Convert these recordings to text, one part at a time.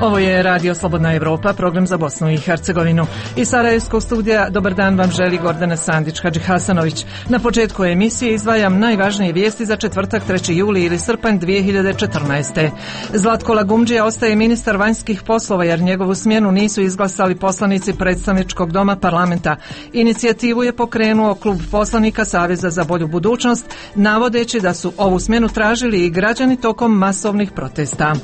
Ovo je Radio Slobodna Evropa, program za Bosnu i Hercegovinu. Iz Sarajevskog studija dobar dan vam želi Gordana Sandić-Hadži Hasanović. Na početku emisije izdvajam najvažnije vijesti za četvrtak 3. juli ili srpanj 2014. Zlatko Lagumdžija ostaje ministar vanjskih poslova jer njegovu smjenu nisu izglasali poslanici predstavničkog doma parlamenta. Inicijativu je pokrenuo klub poslanika Saveza za bolju budućnost, navodeći da su ovu smjenu tražili i građani tokom masovnih protesta.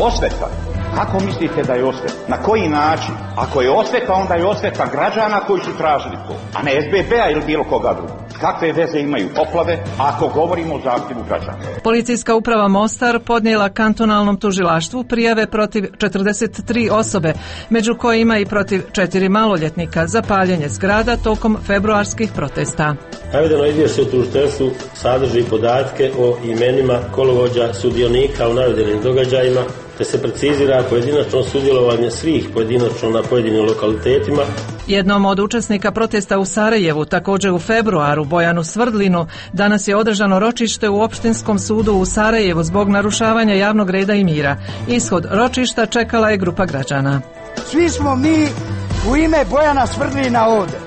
Osveta. Kako mislite da je osveta? Na koji način? Ako je osveta, onda je osveta građana koji su tražili to, a ne SBB-a ili bilo koga drugog. Kakve veze imaju poplave ako govorimo o zahtjevu građana? Policijska uprava Mostar podnijela kantonalnom tužilaštvu prijave protiv 43 osobe, među kojima i protiv 4 maloljetnika za paljenje zgrada tokom februarskih protesta. Navedeno izvješće u tužiteljstvu sadrži podatke o imenima kolovođa sudionika u navedenim događajima, te se precizira pojedinačno sudjelovanje svih pojedinačno na pojedinim lokalitetima. Jednom od učesnika protesta u Sarajevu, također u februaru, Bojanu Svrdlinu, danas je održano ročište u Opštinskom sudu u Sarajevu zbog narušavanja javnog reda i mira. Ishod ročišta čekala je grupa građana. Svi smo mi u ime Bojana Svrdlina ovdje.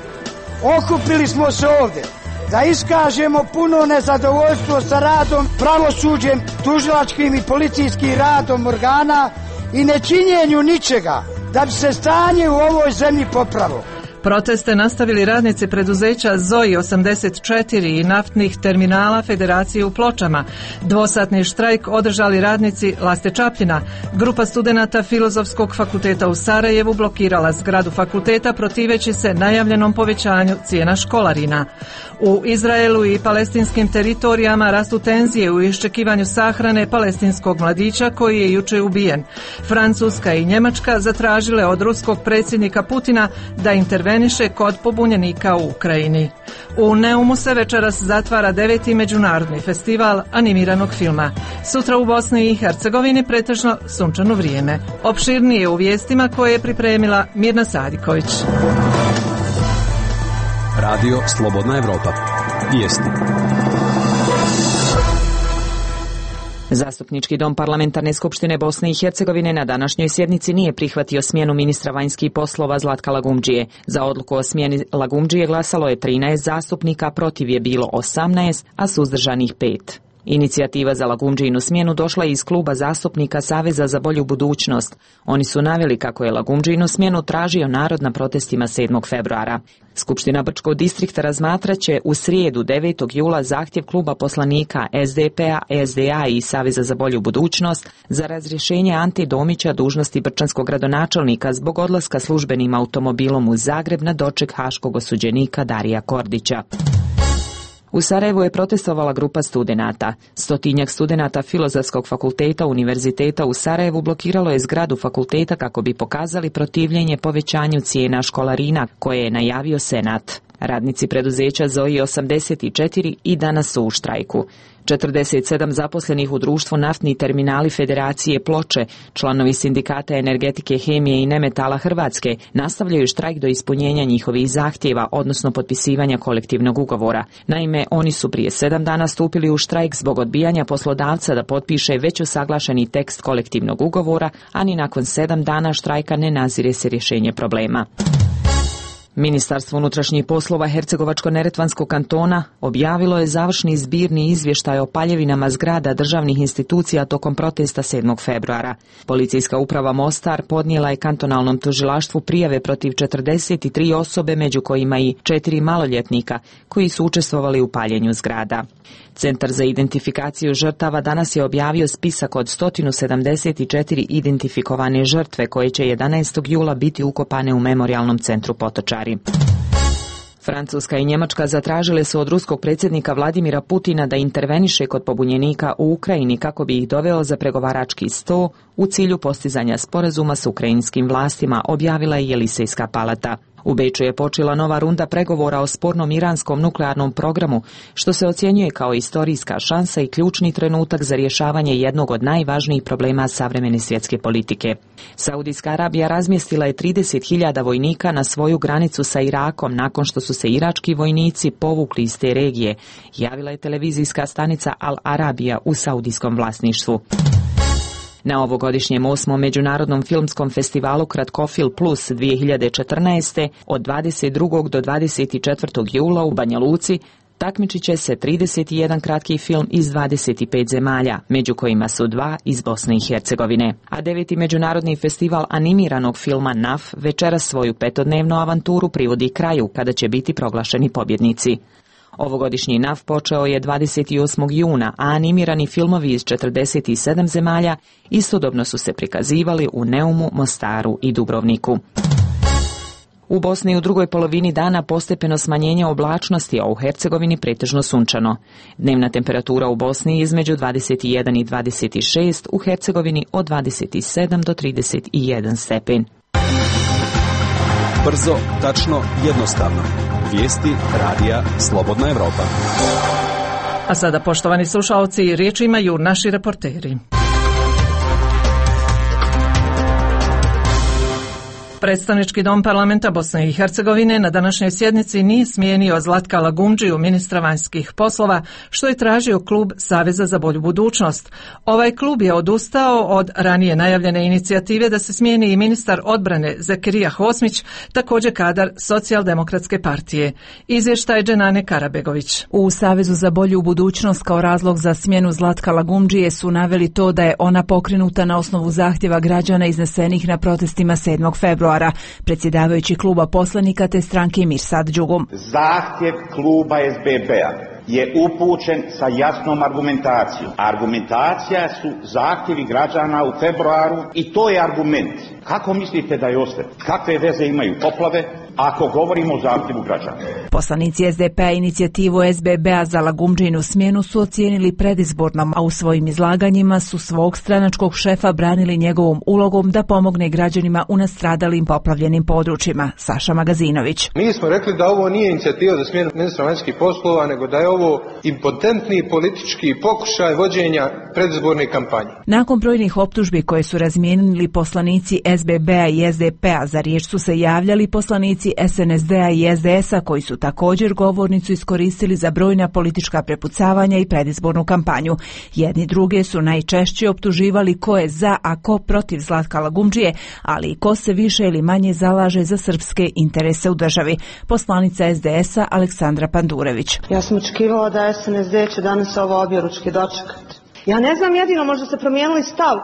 Okupili smo se ovdje da iskažemo puno nezadovoljstvo sa radom, pravosuđem, tužilačkim i policijskim radom organa i nečinjenju ničega da bi se stanje u ovoj zemlji popravilo. Proteste nastavili radnici preduzeća ZOI 84 i naftnih terminala Federacije u Pločama. Dvosatni štrajk održali radnici Laste Čapljina. Grupa studenata Filozofskog fakulteta u Sarajevu blokirala zgradu fakulteta protiveći se najavljenom povećanju cijena školarina. U Izraelu i palestinskim teritorijama rastu tenzije u iščekivanju sahrane palestinskog mladića koji je jučer ubijen. Francuska i Njemačka zatražile od ruskog predsjednika Putina da interveniše kod pobunjenika u Ukrajini. U Neumu se večeras zatvara 9. međunarodni festival animiranog filma. Sutra u Bosni i Hercegovini pretežno sunčano vrijeme. Opširnije u vijestima koje je pripremila Mirna Sadiković. Radio Slobodna Evropa. Vijesti. Zastupnički dom Parlamentarne skupštine Bosne i Hercegovine na današnjoj sjednici nije prihvatio smjenu ministra vanjskih poslova Zlatka Lagumdžije. Za odluku o smjeni Lagumdžije glasalo je 13 zastupnika, protiv je bilo 18, a suzdržanih 5. Inicijativa za Lagumdžijinu smjenu došla je iz kluba zastupnika Saveza za bolju budućnost. Oni su naveli kako je Lagumdžijinu smjenu tražio narod na protestima 7. februara. Skupština Brčkog distrikta razmatraće u srijedu 9. jula zahtjev kluba poslanika SDP-a, SDA i Saveza za bolju budućnost za razrješenje Ante Domića dužnosti brčanskog gradonačelnika zbog odlaska službenim automobilom u Zagreb na doček haškog osuđenika Darija Kordića. U Sarajevu je protestovala grupa studenata. 100-tinjak studenata Filozofskog fakulteta Univerziteta u Sarajevu blokiralo je zgradu fakulteta kako bi pokazali protivljenje povećanju cijena školarina koje je najavio Senat. Radnici preduzeća ZOI 84 i danas su u štrajku. 47 zaposlenih u društvu Naftni terminali Federacije Ploče, članovi sindikata energetike, hemije i nemetala Hrvatske, nastavljaju štrajk do ispunjenja njihovih zahtjeva, odnosno potpisivanja kolektivnog ugovora. Naime, oni su prije 7 dana stupili u štrajk zbog odbijanja poslodavca da potpiše već usaglašeni tekst kolektivnog ugovora, a ni nakon 7 dana štrajka ne nazire se rješenje problema. Ministarstvo unutrašnjih poslova Hercegovačko-neretvanskog kantona objavilo je završni zbirni izvještaj o paljevinama zgrada državnih institucija tokom protesta 7. februara. Policijska uprava Mostar podnijela je kantonalnom tužilaštvu prijave protiv 43 osobe, među kojima i 4 maloljetnika koji su učestvovali u paljenju zgrada. Centar za identifikaciju žrtava danas je objavio spisak od 174 identifikovane žrtve koje će 11. jula biti ukopane u memorijalnom centru Potočari. Francuska i Njemačka zatražile su od ruskog predsjednika Vladimira Putina da interveniše kod pobunjenika u Ukrajini kako bi ih doveo za pregovarački sto u cilju postizanja sporazuma s ukrajinskim vlastima, objavila je Jelisejska palata. U Beču je počela nova runda pregovora o spornom iranskom nuklearnom programu, što se ocjenjuje kao istorijska šansa i ključni trenutak za rješavanje jednog od najvažnijih problema savremene svjetske politike. Saudijska Arabija razmjestila je 30.000 vojnika na svoju granicu sa Irakom nakon što su se irački vojnici povukli iz te regije, javila je televizijska stanica Al Arabija u saudijskom vlasništvu. Na ovogodišnjem 8. Međunarodnom filmskom festivalu Kratkofil Plus 2014. od 22. do 24. jula u Banja Luci takmičit će se 31 kratki film iz 25 zemalja, među kojima su 2 iz Bosne i Hercegovine. A 9. Međunarodni festival animiranog filma NAF večeras svoju 5-dnevnu avanturu privodi kraju kada će biti proglašeni pobjednici. Ovogodišnji NAF počeo je 28. juna, a animirani filmovi iz 47 zemalja istodobno su se prikazivali u Neumu, Mostaru i Dubrovniku. U Bosni u drugoj polovini dana postepeno smanjenje oblačnosti, a u Hercegovini pretežno sunčano. Dnevna temperatura u Bosni između 21 i 26, u Hercegovini od 27 do 31 stepen. Brzo, tačno, jednostavno. Vijesti radija Slobodna Evropa. A sada, poštovani slušalci, riječ imaju naši reporteri. Predstavnički dom parlamenta Bosne i Hercegovine na današnjoj sjednici nije smijenio Zlatka Lagumdžiju, ministra vanjskih poslova, što je tražio klub Saveza za bolju budućnost. Ovaj klub je odustao od ranije najavljene inicijative da se smijeni i ministar odbrane Zekirija Hosmić, također kadar Socijaldemokratske partije. Izvještaj Dženane Karabegović. U Savezu za bolju budućnost kao razlog za smjenu Zlatka Lagumdžije su naveli to da je ona pokrenuta na osnovu zahtjeva građana iznesenih na protestima 7. februara. Predsjedavajući kluba poslanika te stranke Mirsad Džugum. Zahtjev kluba SBB-a je upućen sa jasnom argumentacijom. Argumentacija su zahtjevi građana u februaru i to je argument. Kako mislite da je ostaje? Kakve veze imaju poplave ako govorimo o zahtjevu građana? Poslanici SDP-a inicijativu SBB-a za Lagumdžinu smjenu su ocijenili predizbornom, a u svojim izlaganjima su svog stranačkog šefa branili njegovom ulogom da pomogne građanima u nastradalim poplavljenim područjima. Saša Magazinović. Mi smo rekli da ovo nije inicijativa za smjenu ministra vanjskih poslova, nego da je ovo impotentni politički pokušaj vođenja predizborne kampanje. Nakon brojnih optužbi koje su razmijenili poslanici SBB-a i SDP-a, za riječ su se javljali poslanici SNSD-a i SDS-a koji su također govornicu iskoristili za brojna politička prepucavanja i predizbornu kampanju. Jedni druge su najčešće optuživali ko je za, a ko protiv Zlatka Lagumdžije, ali i ko se više ili manje zalaže za srpske interese u državi. Poslanica SDS-a Aleksandra Pandurević. Ja sam očekivala da SNSD će danas ovo objeručke dočekati. Ja ne znam, jedino možda ste promijenili stav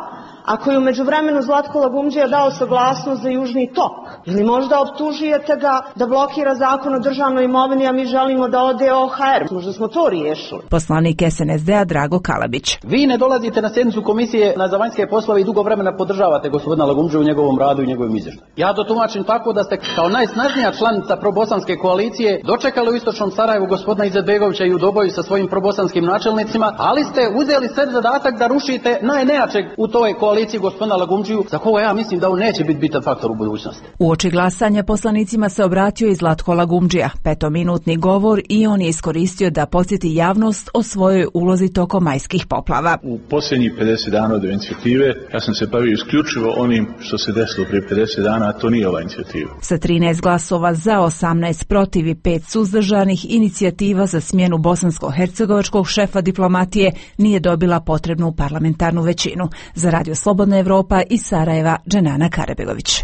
ako je u međuvremenu Zlatko Lagumdžija dao saglasnost za Južni tok. Ili možda optužujete ga da blokira zakon o državnoj imovini, a mi želimo da ode OHR. Možda smo to riješili. Poslanik SNSD-a Drago Kalabić. Vi ne dolazite na sjednicu komisije za vanjske poslove i dugo vremena podržavate gospodina Lagumdžiju u njegovom radu i njegovim izvještaju. Ja to tumačim tako da ste kao najsnažnija članica probosanske koalicije dočekali u istočnom Sarajevu gospodina Izetbegovića i u doboju sa svojim probosanskim načelnicima, ali ste uzeli sebi zadatak da rušite najnejačeg u toj koaliciji gospodina Lagumdžiju, za koga ja mislim da on neće biti bitan faktor u budućnosti. Uoči glasanja poslanicima se obratio i Zlatko Lagumdžija. 5-minutni govor i on je iskoristio da podsjeti javnost o svojoj ulozi tokom majskih poplava. U posljednjih 50 dana od inicijative ja sam se bavio isključivo onim što se desilo prije 50 dana, a to nije ova inicijativa. Sa 13 glasova za, 18 protiv i 5 suzdržanih, inicijativa za smjenu bosansko-hercegovačkog šefa diplomatije nije dobila potrebnu parlamentarnu većinu. Za Radio Slobodna Evropa iz Sarajeva, Dženana Karabegović.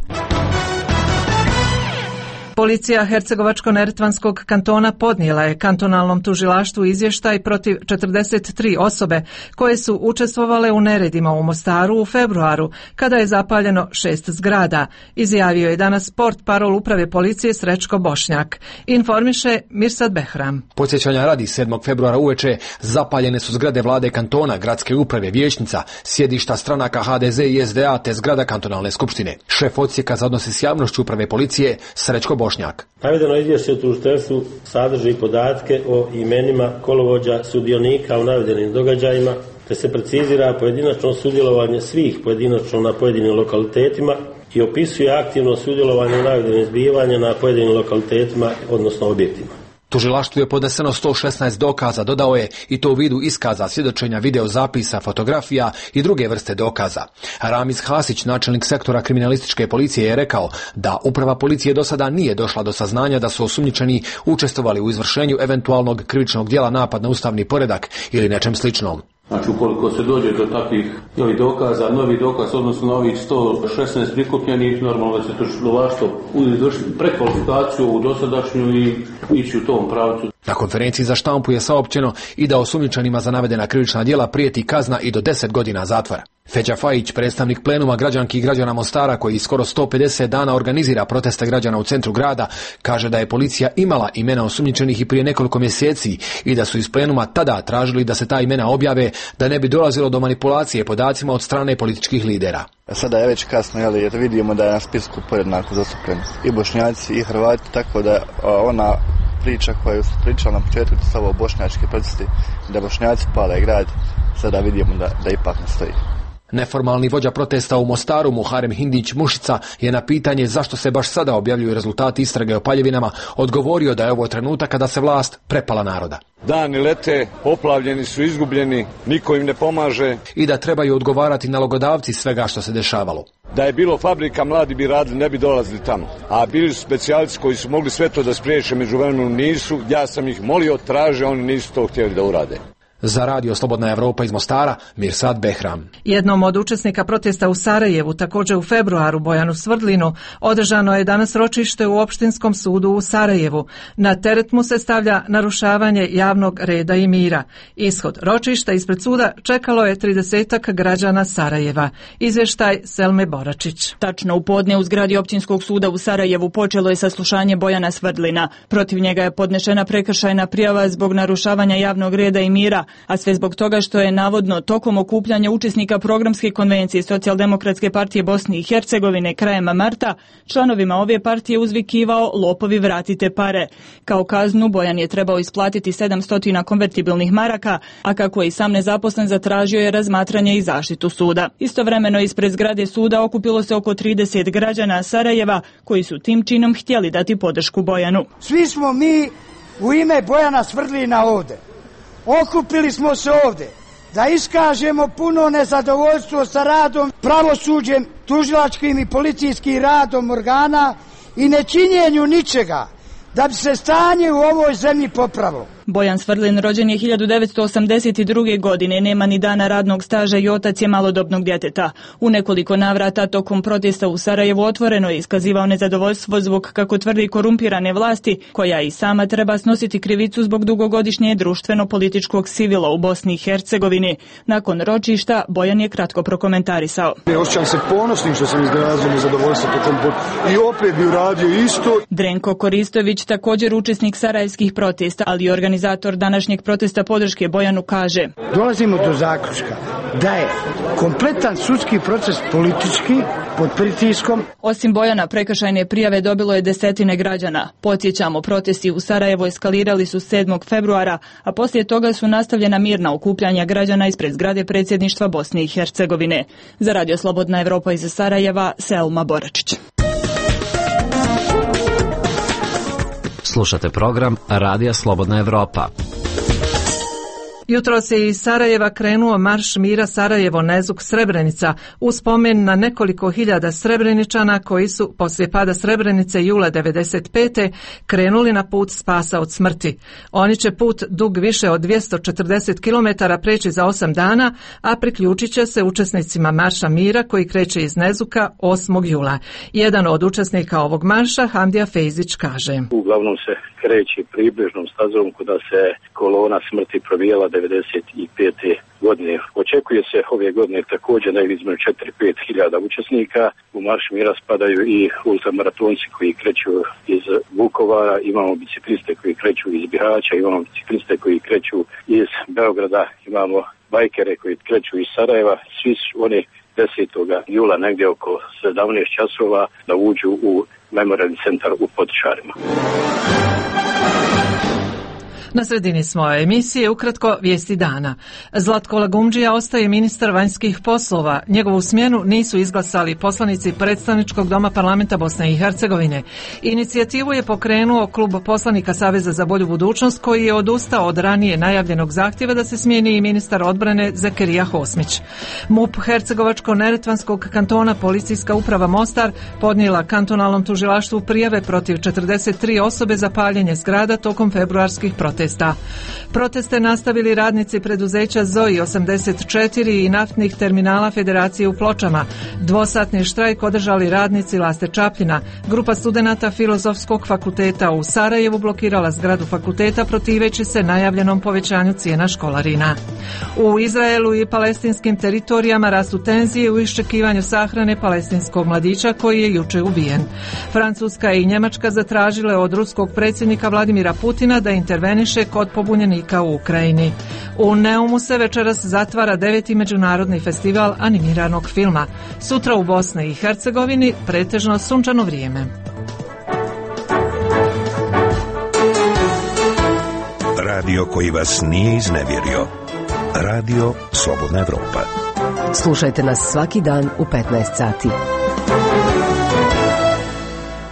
Policija Hercegovačko-neretvanskog kantona podnijela je kantonalnom tužilaštvu izvještaj protiv 43 osobe koje su učestvovale u neredima u Mostaru u februaru, kada je zapaljeno 6 zgrada, izjavio je danas portparol uprave policije Srećko Bošnjak. Informiše Mirsad Behram. Podsjećanja radi 7. februara uveče zapaljene su zgrade vlade kantona, gradske uprave, vijećnica, sjedišta stranaka HDZ i SDA te zgrada kantonalne skupštine. Šef odsjeka za odnose s javnošću uprave policije Srećko Bošnjak. Navedeno izvješće o tužiteljstvu sadrži podatke o imenima kolovođa sudionika u navedenim događajima, te se precizira pojedinačno sudjelovanje svih pojedinačno na pojedinim lokalitetima i opisuje aktivno sudjelovanje u navedenim zbivanjima na pojedinim lokalitetima, odnosno objektima. Tužilaštvu je podneseno 116 dokaza, dodao je, i to u vidu iskaza, svjedočenja, videozapisa, fotografija i druge vrste dokaza. Ramiz Hasić, načelnik sektora kriminalističke policije, je rekao da uprava policije do sada nije došla do saznanja da su osumnjičeni učestvovali u izvršenju eventualnog krivičnog djela napad na ustavni poredak ili nečem sličnom. Znači, ukoliko se dođe do takvih dokaza, novi dokaz, odnosno novih 116 prikupljenih, normalno da se tužilaštvo izvršiti prekvalifikaciju u dosadašnju i ići u tom pravcu. Na konferenciji za štampu je saopćeno i da osumnjičenima za navedena krivična djela prijeti kazna i do 10 godina zatvora. Feđa Fajić, predstavnik plenuma građanki i građana Mostara koji skoro 150 dana organizira proteste građana u centru grada, kaže da je policija imala imena osumnjičenih i prije nekoliko mjeseci i da su iz plenuma tada tražili da se ta imena objave da ne bi dolazilo do manipulacije podacima od strane političkih lidera. Sada je već kasno, jer vidimo da je na spisku podjednako zastupljeni i Bošnjaci i Hrvati, tako da ona priča koju su pričali na početku, to su ovo bošnjački protesti, da Bošnjaci pale grad, sada vidimo da ipak ne stoji. Neformalni vođa protesta u Mostaru, Muharem Hindić Mušica, je na pitanje zašto se baš sada objavljuju rezultati istrage o paljevinama odgovorio da je ovo trenutak kada se vlast prepala naroda. Dani lete, poplavljeni su, izgubljeni, niko im ne pomaže. I da trebaju odgovarati nalogodavci svega što se dešavalo. Da je bilo fabrika, mladi bi radili, ne bi dolazili tamo. A bili su specijalci koji su mogli sve to da spriječe, međuvremenu nisu. Ja sam ih molio, traže, oni nisu to htjeli da urade. Za radio Slobodna Evropa iz Mostara, Mirsad Behram. Jednom od učesnika protesta u Sarajevu, također u februaru, Bojanu Svrdlinu, održano je danas ročište u Opštinskom sudu u Sarajevu. Na teret mu se stavlja narušavanje javnog reda i mira. Ishod ročišta ispred suda čekalo je 30 građana Sarajeva. Izvještaj Selme Boračić. Tačno u podne u zgradi Općinskog suda u Sarajevu počelo je saslušanje Bojana Svrdlina. Protiv njega je podnešena prekršajna prijava zbog narušavanja javnog reda i mira, a sve zbog toga što je navodno tokom okupljanja učesnika programske konvencije Socijaldemokratske partije Bosne i Hercegovine krajem marta članovima ove partije uzvikivao lopovi vratite pare. Kao kaznu Bojan je trebao isplatiti 700 konvertibilnih maraka, a kako je i sam nezaposlen zatražio je razmatranje i zaštitu suda. Istovremeno ispred zgrade suda okupilo se oko 30 građana Sarajeva koji su tim činom htjeli dati podršku Bojanu. Svi smo mi u ime Bojana Svrdlina ovde. Okupili smo se ovdje da iskažemo puno nezadovoljstvo sa radom, pravosuđem, tužilačkim i policijskim radom organa i nečinjenju ničega da bi se stanje u ovoj zemlji popravilo. Bojan Svrdlin rođen je 1982. godine, nema ni dana radnog staža i otac je malodobnog djeteta. U nekoliko navrata tokom protesta u Sarajevu otvoreno je iskazivao nezadovoljstvo zbog, kako tvrdi, korumpirane vlasti, koja i sama treba snositi krivicu zbog dugogodišnje društveno-političkog sivila u Bosni i Hercegovini. Nakon ročišta Bojan je kratko prokomentarisao. Osjećam se ponosnim što sam izrazio nezadovoljstvo tokom i opet bi uradio isto. Drenko Koristović, također učesnik sarajevskih protesta, ali i organizator današnjeg protesta podrške Bojanu, kaže: dolazimo do zaključka da je kompletan sudski proces politički pod pritiskom. Osim Bojana, prekršajne prijave dobilo je desetine građana. Podsjećamo, protesti u Sarajevu eskalirali su 7. februara, a poslije toga su nastavljena mirna okupljanja građana ispred zgrade predsjedništva Bosne i Hercegovine. Za radio Slobodna Evropa iz Sarajeva, Selma Boračić. Slušate program Radija Slobodna Evropa. Jutros je iz Sarajeva krenuo marš mira Sarajevo-Nezuk-Srebrenica u spomen na nekoliko hiljada Srebreničana koji su poslije pada Srebrenice jula 1995. krenuli na put spasa od smrti. Oni će put dug više od 240 km preći za 8 dana, a priključit će se učesnicima marša mira koji kreće iz Nezuka 8. jula. Jedan od učesnika ovog marša, Hamdija Fejzić, kaže: uglavnom se kreće približnom stazom kuda se kolona smrti probijala 1995. godine. Očekuje se ove godine također negdje između 4-5 hiljada učesnika. U marš mira spadaju i ultramaratonci koji kreću iz Vukovara, imamo bicikliste koji kreću iz Bihaća, imamo bicikliste koji kreću iz Beograda, imamo bajkere koji kreću iz Sarajeva. Svi su oni 10. jula negdje oko 17 časova da uđu u memorialni centar u Potičarima. Na sredini smo emisije, ukratko vijesti dana. Zlatko Lagumdžija ostaje ministar vanjskih poslova. Njegovu smjenu nisu izglasali poslanici Predstavničkog doma parlamenta Bosne i Hercegovine. Inicijativu je pokrenuo klub poslanika Saveza za bolju budućnost koji je odustao od ranije najavljenog zahtjeva da se smijeni i ministar odbrane Zekerija Hosmić. MUP Hercegovačko-Neretvanskog kantona Policijska uprava Mostar podnijela kantonalnom tužilaštvu prijave protiv 43 osobe za paljenje zgrada tokom februarskih protesta. protesta. Proteste nastavili radnici preduzeća ZOI 84 i naftnih terminala Federacije u Pločama. Dvosatni štrajk održali radnici Laste Čapljina. Grupa studenata Filozofskog fakulteta u Sarajevu blokirala zgradu fakulteta protiveći se najavljenom povećanju cijena školarina. U Izraelu i palestinskim teritorijama rastu tenzije u iščekivanju sahrane palestinskog mladića koji je juče ubijen. Francuska i Njemačka zatražile od ruskog predsjednika Vladimira Putina da interveniše kod pobunjenika u Ukrajini. U Neumu se večeras zatvara 9. međunarodni festival animiranog filma. Sutra u Bosni i Hercegovini pretežno sunčano vrijeme. Radio koji vas nije iznevjerio. Radio Slobodna Evropa. Slušajte nas svaki dan u 15 sati.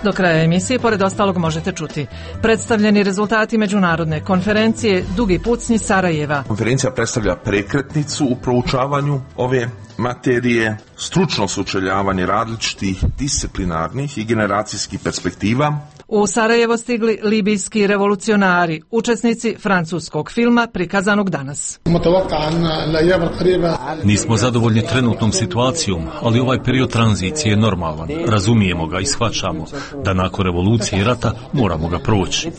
Do kraja emisije, pored ostalog, možete čuti predstavljeni rezultati međunarodne konferencije Dugi pucnji Sarajeva. Konferencija predstavlja prekretnicu u proučavanju ove materije, stručno sučeljavanje različitih disciplinarnih i generacijskih perspektiva. U Sarajevo stigli libijski revolucionari, učesnici francuskog filma prikazanog danas. Nismo zadovoljni trenutnom situacijom, ali ovaj period tranzicije je normalan. Razumijemo ga i shvaćamo da nakon revolucije i rata moramo ga proći.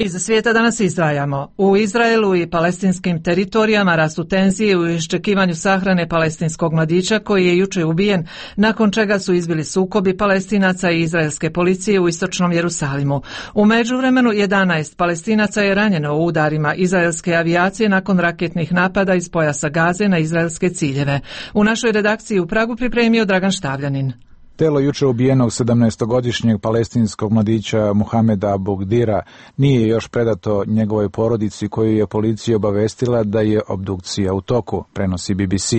Iz svijeta danas izdvajamo. U Izraelu i palestinskim teritorijama rastu tenzije u iščekivanju sahrane palestinskog mladića koji je juče ubijen, nakon čega su izbili sukobi Palestinaca i izraelske policije u istočnom Jerusalimu. U međuvremenu 11 Palestinaca je ranjeno u udarima izraelske avijacije nakon raketnih napada iz pojasa Gaze na izraelske ciljeve. U našoj redakciji u Pragu pripremio Dragan Štavljanin. Telo juče ubijenog 17-godišnjeg palestinskog mladića Muhameda Abugdira nije još predato njegovoj porodici koju je policija obavestila da je obdukcija u toku, prenosi BBC.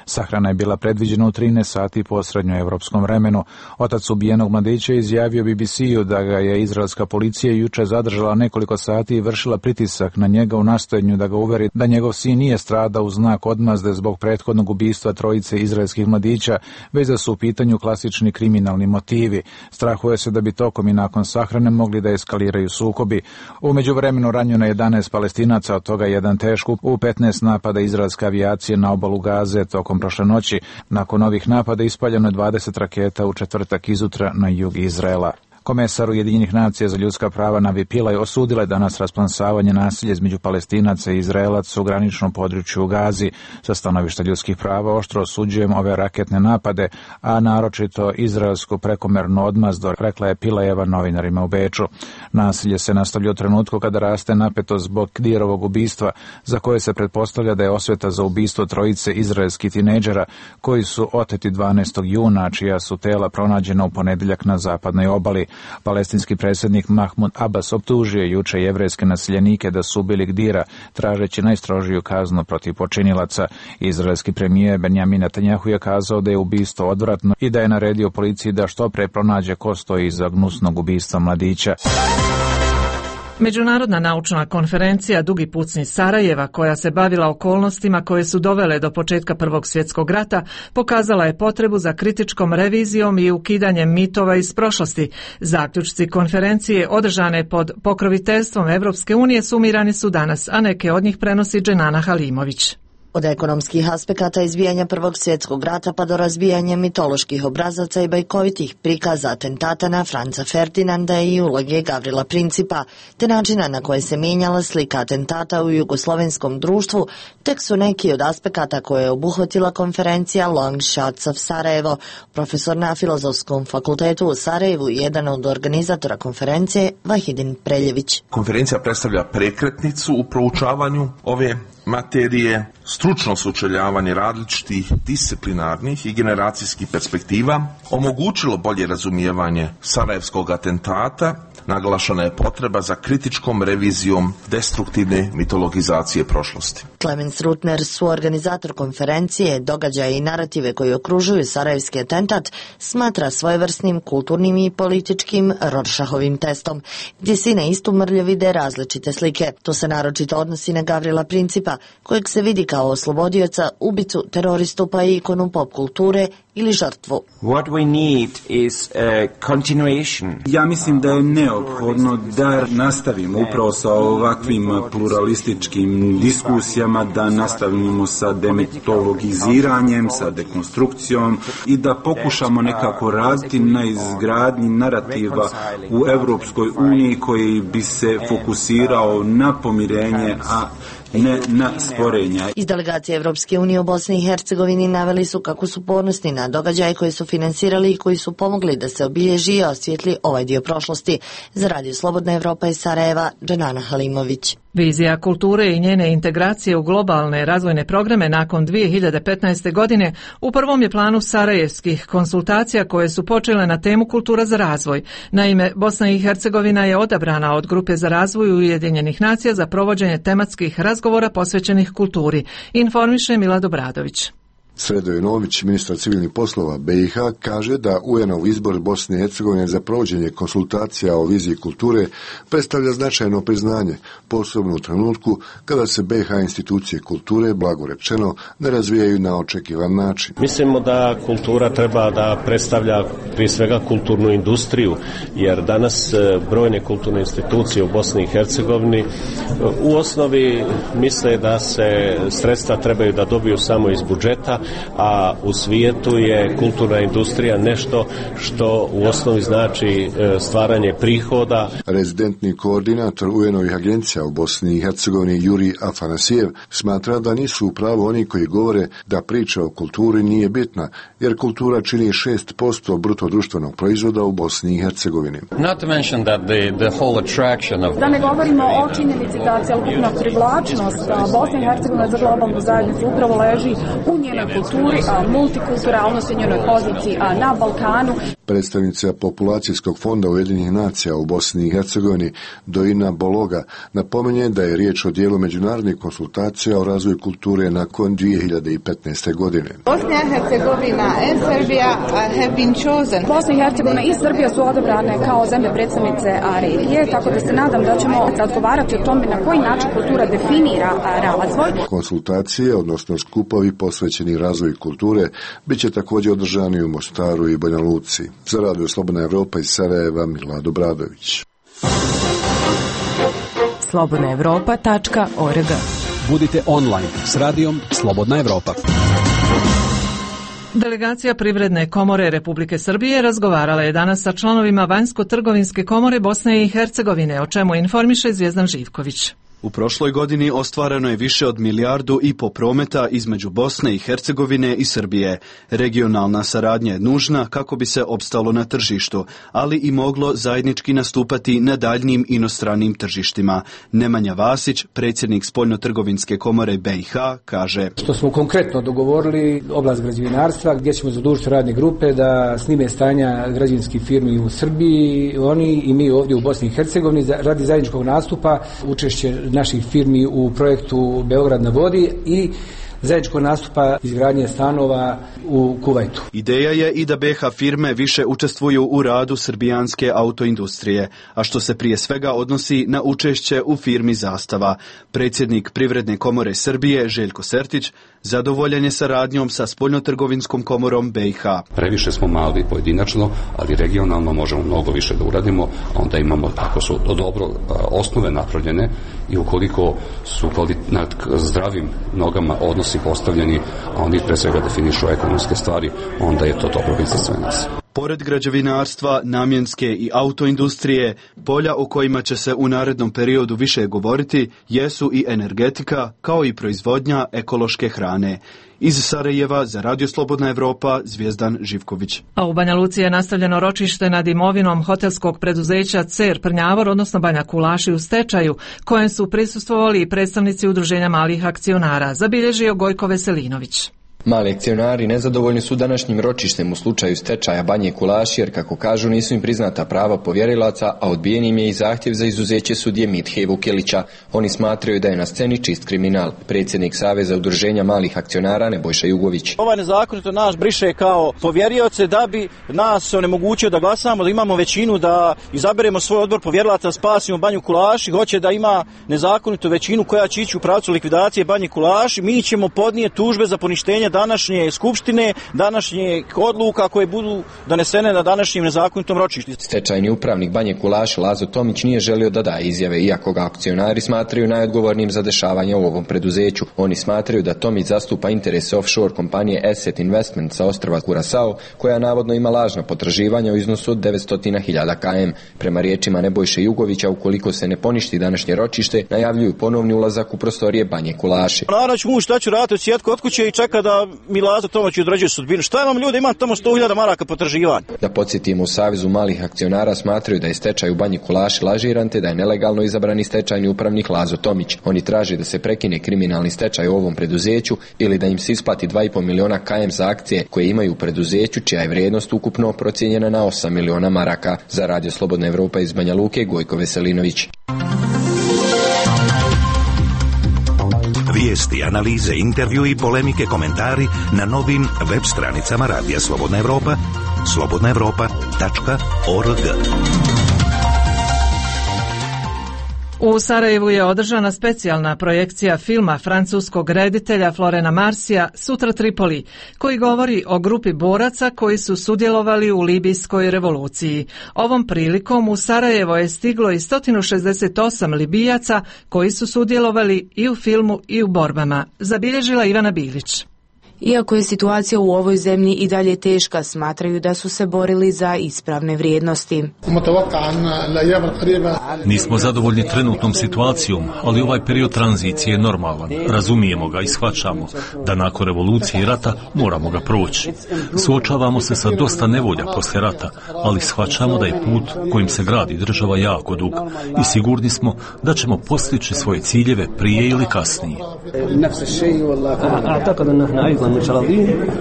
Sahrana je bila predviđena u 13 sati po srednjoevropskom vremenu. Otac ubijenog mladića izjavio BBC-u da ga je izraelska policija juče zadržala nekoliko sati i vršila pritisak na njega u nastojanju da ga uveri da njegov sin nije stradao u znak odmazde zbog prethodnog ubistva trojice izraelskih mladića, već da su u pitanju klasični kriminalni motivi. Strahuje se da bi tokom i nakon sahrane mogli da eskaliraju sukobi. U međuvremenu ranjeno je 11 Palestinaca, od toga jedan teško u 15 napada izraelske avijacije na obalu Gaze tokom prošle noći. Nakon ovih napada ispaljeno je 20 raketa u četvrtak izutra na jug Izraela. Komesar Ujedinjenih nacija za ljudska prava Navi Pillay osudila je danas rasplamsavanje nasilja između Palestinaca i Izraelaca u graničnom području u Gazi. Sa stanovišta ljudskih prava oštro osuđujem ove raketne napade, a naročito izraelsku prekomernu odmazdu, rekla je Pillayeva novinarima u Beču. Nasilje se nastavlja u trenutku kada raste napetost zbog Kdirovog ubistva, za koje se pretpostavlja da je osveta za ubistvo trojice izraelskih tinejdžera koji su oteti 12. juna, čija su tela pronađena u ponedjeljak na zapadnoj obali. Palestinski predsjednik Mahmud Abbas optužio juče jevrejske naseljenike da su ubili Gdira, tražeći najstrožiju kaznu protiv počinilaca. Izraelski premijer Benjamin Netanjahu je kazao da je ubistvo odvratno i da je naredio policiji da što pre pronađe ko stoji iza gnusnog ubistva mladića. Međunarodna naučna konferencija Dugi pucnji Sarajeva, koja se bavila okolnostima koje su dovele do početka Prvog svjetskog rata, pokazala je potrebu za kritičkom revizijom i ukidanjem mitova iz prošlosti. Zaključci konferencije održane pod pokroviteljstvom Evropske unije sumirani su danas, a neke od njih prenosi Dženana Halimović. Od ekonomskih aspekata izbijanja Prvog svjetskog rata pa do razbijanja mitoloških obrazaca i bajkovitih prikaza atentata na Franca Ferdinanda i uloge Gavrila Principa, te načina na koje se mijenjala slika atentata u jugoslovenskom društvu, tek su neki od aspekata koje je obuhvatila konferencija Long Shots of Sarajevo. Profesor na Filozofskom fakultetu u Sarajevu i jedan od organizatora konferencije, Vahidin Preljević. Konferencija predstavlja prekretnicu u proučavanju ove materije, stručno sučeljavanje različitih disciplinarnih i generacijskih perspektiva, omogućilo bolje razumijevanje sarajevskog atentata, naglašena je potreba za kritičkom revizijom destruktivne mitologizacije prošlosti. Clemens Rutner, suorganizator konferencije, događaje i narative koji okružuju sarajevski atentat, smatra svojevrsnim kulturnim i političkim Rorschachovim testom, gdje se na istu mrlju vide različite slike. To se naročito odnosi na Gavrila Principa, kojeg se vidi kao oslobodioca, ubicu, teroristu pa i ikonu pop kulture ili žrtvu. Ja mislim da je neophodno da nastavimo upravo sa ovakvim pluralističkim diskusijama, da nastavimo sa demitologiziranjem, sa dekonstrukcijom i da pokušamo nekako raditi na izgradnji narativa u Europskoj uniji koji bi se fokusirao na pomirenje, a ne na sporenja. Iz delegacije Evropske unije u Bosni i Hercegovini naveli su kako su ponosni na događaje koje su finansirali i koji su pomogli da se obilježi i osvijetli ovaj dio prošlosti. Za Radio Slobodna Evropa iz Sarajeva, Dženana Halimović. Vizija kulture i njene integracije u globalne razvojne programe nakon 2015. godine u prvom je planu sarajevskih konsultacija koje su počele na temu kultura za razvoj. Naime, Bosna i Hercegovina je odabrana od Grupe za razvoj Ujedinjenih nacija za provođenje tematskih razgovora posvećenih kulturi. Informiše Milad Obradović. Sredo Jovanović, ministar civilnih poslova BiH, kaže da UN-ov izbor Bosne i Hercegovine za provođenje konsultacija o viziji kulture predstavlja značajno priznanje, posebno u trenutku kada se BiH institucije kulture, blago rečeno, ne razvijaju na očekivan način. Mislimo da kultura treba da predstavlja prije svega kulturnu industriju, jer danas brojne kulturne institucije u Bosni i Hercegovini u osnovi misle da se sredstva trebaju da dobiju samo iz budžeta, a u svijetu je kulturna industrija nešto što u osnovi znači stvaranje prihoda. Rezidentni koordinator UN-ovih agencija u Bosni i Hercegovini Juri Afanasijev smatra da nisu u pravu oni koji govore da priča o kulturi nije bitna, jer kultura čini 6% bruto društvenog proizvoda u Bosni i Hercegovini. Da ne govorimo o činjenici da cjelokupna privlačnost Bosne i Hercegovine za globalnu zajednicu upravo leži u njenoj kulturi, multikulturalnosti, njenoj poziciji na Balkanu. Predstavnica Populacijskog fonda Ujedinjenih nacija u Bosni i Hercegovini Dojina Bologa napominje da je riječ o dijelu međunarodnih konsultacija o razvoju kulture nakon 2015. godine. Bosna i Hercegovina and Serbia have been chosen. Bosna i Hercegovina i Srbija su odabrane kao zemlje predstavnice regije, tako da se nadam da ćemo razgovarati o tome na koji način kultura definira razvoj. Konsultacije, odnosno skupovi posvećeni razvoju kulture, bit će također održani u Mostaru i Banja Luci. Za Radio Slobodna Evropa iz Sarajeva, Milad Obradović. slobodnaevropa.org. Budite online s radijom Slobodna Evropa. Delegacija Privredne komore Republike Srbije razgovarala je danas sa članovima Vanjsko-trgovinske komore Bosne i Hercegovine, o čemu informiše Zvjezdan Živković. U prošloj godini ostvareno je više od 1,5 milijardu prometa između Bosne i Hercegovine i Srbije. Regionalna saradnja je nužna kako bi se opstalo na tržištu, ali i moglo zajednički nastupati na daljnim inostranim tržištima. Nemanja Vasić, predsjednik Spoljno-trgovinske komore BiH, kaže: Što smo konkretno dogovorili oblast građevinarstva, gdje ćemo zadužiti radne grupe da snime stanja građevinskih firmi u Srbiji, oni i mi ovdje u Bosni i Hercegovini radi zajedničkog nastupa, učešće naših firmi u projektu Beograd na vodi i zajedničkog nastupa izgradnje stanova u Kuvajtu. Ideja je i da BiH firme više učestvuju u radu srbijanske autoindustrije, a što se prije svega odnosi na učešće u firmi Zastava. Predsjednik Privredne komore Srbije Željko Sertić zadovoljan je saradnjom sa Spoljnotrgovinskom komorom BiH. Previše smo mali pojedinačno, ali regionalno možemo mnogo više da uradimo, a onda imamo, ako su dobro osnove napravljene i ukoliko su na zdravim nogama odnosi postavljeni, a oni pre svega definišu ekonomske stvari, onda je to dobro biti za sve nas. Pored građevinarstva, namjenske i autoindustrije, polja o kojima će se u narednom periodu više govoriti jesu i energetika, kao i proizvodnja ekološke hrane. Iz Sarajeva za Radio Slobodna Evropa, Zvjezdan Živković. A u Banja Luci je nastavljeno ročište nad imovinom hotelskog preduzeća CER Prnjavor, odnosno Banja Kulaši u stečaju, kojem su prisustvovali i predstavnici Udruženja malih akcionara, zabilježio Gojko Veselinović. Mali akcionari nezadovoljni su današnjim ročištem u slučaju stečaja Banje Kulaši, jer kako kažu nisu im priznata prava povjerilaca, a odbijen im je i zahtjev za izuzeće sudije Mithe Vukelića. Oni smatraju da je na sceni čist kriminal. Predsjednik Saveza udruženja malih akcionara Nebojša Jugović. Ovaj nezakonito nas briše kao povjerioce da bi nas onemogućio da glasamo, da imamo većinu, da izaberemo svoj odbor povjerilaca, spasimo Banju Kulaši. Hoće da ima nezakonitu većinu koja će ići u pravcu likvidacije Banje Kulaši. Mi ćemo podnijeti tužbe za poništenje poštivanje današnje skupštine, današnje odluka koje budu donesene na današnjem nezakonitom ročištu. Stečajni upravnik Banje Kulaši Lazo Tomić nije želio da daje izjave, iako ga akcionari smatraju najodgovornijim za dešavanje u ovom preduzeću. Oni smatraju da Tomić zastupa interese offshore kompanije Asset Investment sa ostrva Curaçao, koja navodno ima lažna potraživanja u iznosu od 900.000 km. Prema riječima Nebojše Jugovića, ukoliko se ne poništi današnje ročište, najavljuju ponovni ulazak u prostorije Banje Kulaši. Naravno ću mu šta ću raditi od sjetku od kuće i čeka da mi Lazo Tomić određuje sudbinu. Šta imam ljudi, imam tamo 100.000 maraka potraživanja. Da podsjetimo, u Savezu malih akcionara smatraju da je stečaj u Banji Kulaši lažiran te da je nelegalno izabrani stečajni upravnik Lazo Tomić. Oni traže da se prekine kriminalni stečaj u ovom preduzeću ili da im se isplati 2,5 miliona km za akcije koje imaju u preduzeću, čija je vrijednost ukupno procijenjena na 8 miliona maraka. Za Radio Slobodna Evropa iz Banja Luke, Gojko Veselinović. Vijesti, analize, intervju i polemike, komentari na novim web stranicama Radija Slobodna Evropa, slobodnaevropa.org. U Sarajevu je održana specijalna projekcija filma francuskog reditelja Florena Marsija Sutra Tripoli, koji govori o grupi boraca koji su sudjelovali u Libijskoj revoluciji. Ovom prilikom u Sarajevo je stiglo i 168 Libijaca koji su sudjelovali i u filmu i u borbama, zabilježila Ivana Bilić. Iako je situacija u ovoj zemlji i dalje teška, smatraju da su se borili za ispravne vrijednosti. Nismo zadovoljni trenutnom situacijom, ali ovaj period tranzicije je normalan. Razumijemo ga i shvaćamo da nakon revolucije i rata moramo ga proći. Suočavamo se sa dosta nevolja poslije rata, ali shvaćamo da je put kojim se gradi država jako dug i sigurni smo da ćemo postići svoje ciljeve prije ili kasnije.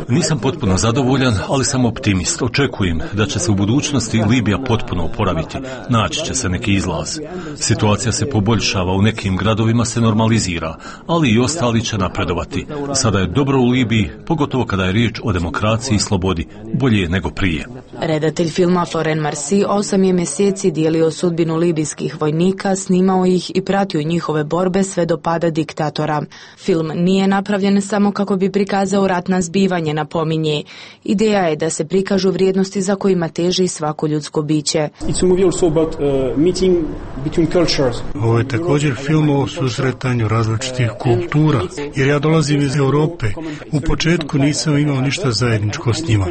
Nisam potpuno zadovoljan, ali sam optimist. Očekujem da će se u budućnosti Libija potpuno oporaviti. Naći će se neki izlaz. Situacija se poboljšava, u nekim gradovima se normalizira, ali i ostali će napredovati. Sada je dobro u Libiji, pogotovo kada je riječ o demokraciji i slobodi. Bolje nego prije. Redatelj filma Florent Marsi 8 je mjeseci dijelio sudbinu libijskih vojnika, snimao ih i pratio njihove borbe sve do pada diktatora. Film nije napravljen samo kako bi prikazao ratna zbivanje, napominje. Ideja je da se prikažu vrijednosti za kojima teži svako ljudsko biće. Ovo je također film o susretanju različitih kultura, jer ja dolazim iz Europe. U početku nisam imao ništa zajedničko s njima.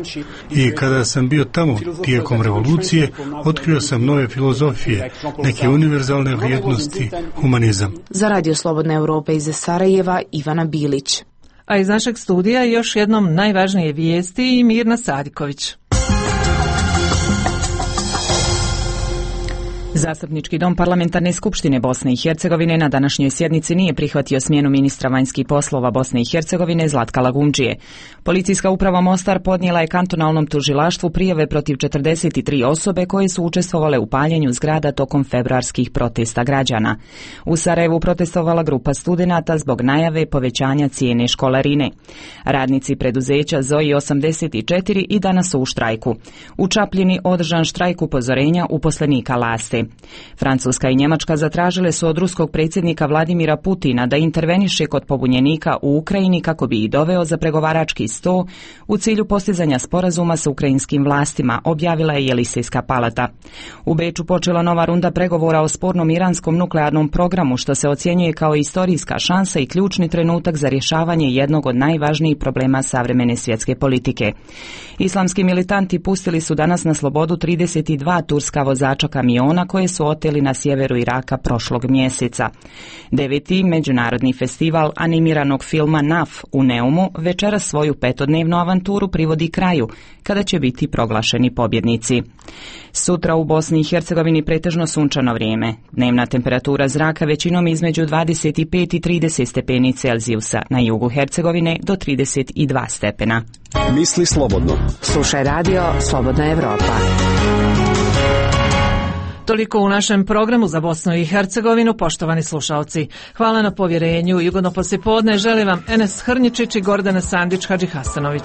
I kada sam bio tamo tijekom revolucije, otkrio sam nove filozofije, neke univerzalne vrijednosti, humanizam. Za Radio Slobodna Evropa iz Sarajeva, Ivana Bilić. A iz našeg studija još jednom najvažnije vijesti i Mirna Sadiković. Zastupnički dom Parlamentarne skupštine Bosne i Hercegovine na današnjoj sjednici nije prihvatio smjenu ministra vanjskih poslova Bosne i Hercegovine Zlatka Lagundžije. Policijska uprava Mostar podnijela je kantonalnom tužilaštvu prijave protiv 43 osobe koje su učestvovale u paljenju zgrada tokom februarskih protesta građana. U Sarajevu protestovala grupa studenata zbog najave povećanja cijene školarine. Radnici preduzeća ZOI 84 i danas su u štrajku. U Čapljini održan štrajk upozorenja uposlenika Laste. Francuska i Njemačka zatražile su od ruskog predsjednika Vladimira Putina da interveniše kod pobunjenika u Ukrajini kako bi ih doveo za pregovarački sto u cilju postizanja sporazuma sa ukrajinskim vlastima, objavila je Jelisejska palata. U Beču počela nova runda pregovora o spornom iranskom nuklearnom programu, što se ocjenjuje kao istorijska šansa i ključni trenutak za rješavanje jednog od najvažnijih problema savremene svjetske politike. Islamski militanti pustili su danas na slobodu 32 turska vozača kamiona koje su oteli na sjeveru Iraka prošlog mjeseca. 9. međunarodni festival animiranog filma NAF u Neumu večeras svoju 5-dnevnu avanturu privodi kraju, kada će biti proglašeni pobjednici. Sutra u Bosni i Hercegovini pretežno sunčano vrijeme. Dnevna temperatura zraka većinom između 25 i 30 stepeni Celzijusa, na jugu Hercegovine do 32 stepena. Misli slobodno. Slušaj Radio Slobodna Evropa. Toliko u našem programu za Bosnu i Hercegovinu, poštovani slušalci. Hvala na povjerenju i ugodno poslijepodne želim vam Enes Hrničić i Gordana Sandić Hadžihasanović.